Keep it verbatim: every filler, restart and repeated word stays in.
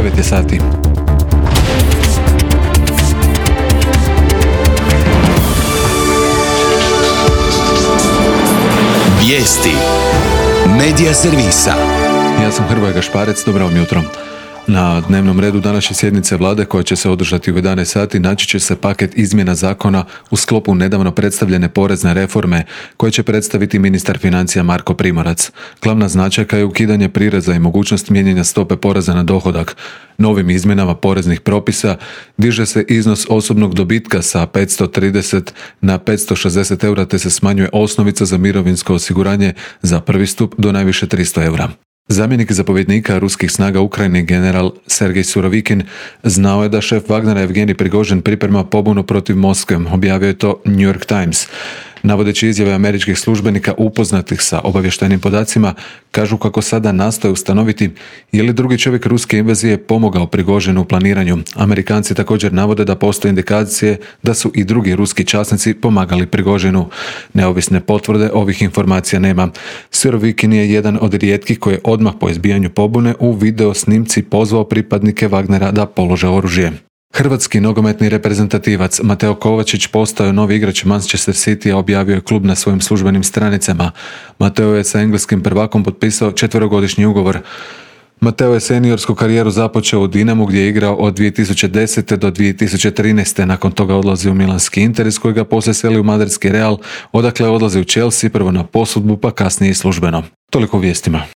devet je sati. Vijesti Medija servisa. Ja sam Hrvoje Gašparec, dobro vam jutro. Na dnevnom redu današnje sjednice vlade koja će se održati u jedanaest sati naći će se paket izmjena zakona u sklopu nedavno predstavljene porezne reforme koje će predstaviti ministar financija Marko Primorac. Glavna značajka je ukidanje prireza i mogućnost mijenjanja stope poreza na dohodak. Novim izmjenama poreznih propisa diže se iznos osobnog dobitka sa petsto trideset na petsto šezdeset eura te se smanjuje osnovica za mirovinsko osiguranje za prvi stup do najviše tristo eura. Zamjenik zapovjednika ruskih snaga Ukrajine general Sergej Surovikin znao je da šef Wagnera Evgenij Prigožin priprema pobunu protiv Moskve, objavio je to New York Times. Navodeći izjave američkih službenika upoznatih sa obavještajnim podacima, kažu kako sada nastoje ustanoviti je li drugi čovjek ruske invazije pomogao Prigožinu u planiranju. Amerikanci također navode da postoje indikacije da su i drugi ruski časnici pomagali Prigožinu. Neovisne potvrde ovih informacija nema. Surovikin je jedan od rijetkih koji je odmah po izbijanju pobune u video snimci pozvao pripadnike Wagnera da polože oružje. Hrvatski nogometni reprezentativac Mateo Kovačić postao je novi igrač Manchester Citya, objavio je klub na svojim službenim stranicama. Mateo je sa engleskim prvakom potpisao četverogodišnji ugovor. Mateo je seniorsku karijeru započeo u Dinamu gdje je igrao od dvije tisuće desete do dvije tisuće trinaeste. Nakon toga odlazi u milanski Inter iz kojega poslije seli u madridski Real, odakle odlazi u Chelsea prvo na posudbu pa kasnije i službeno. Toliko u vijestima.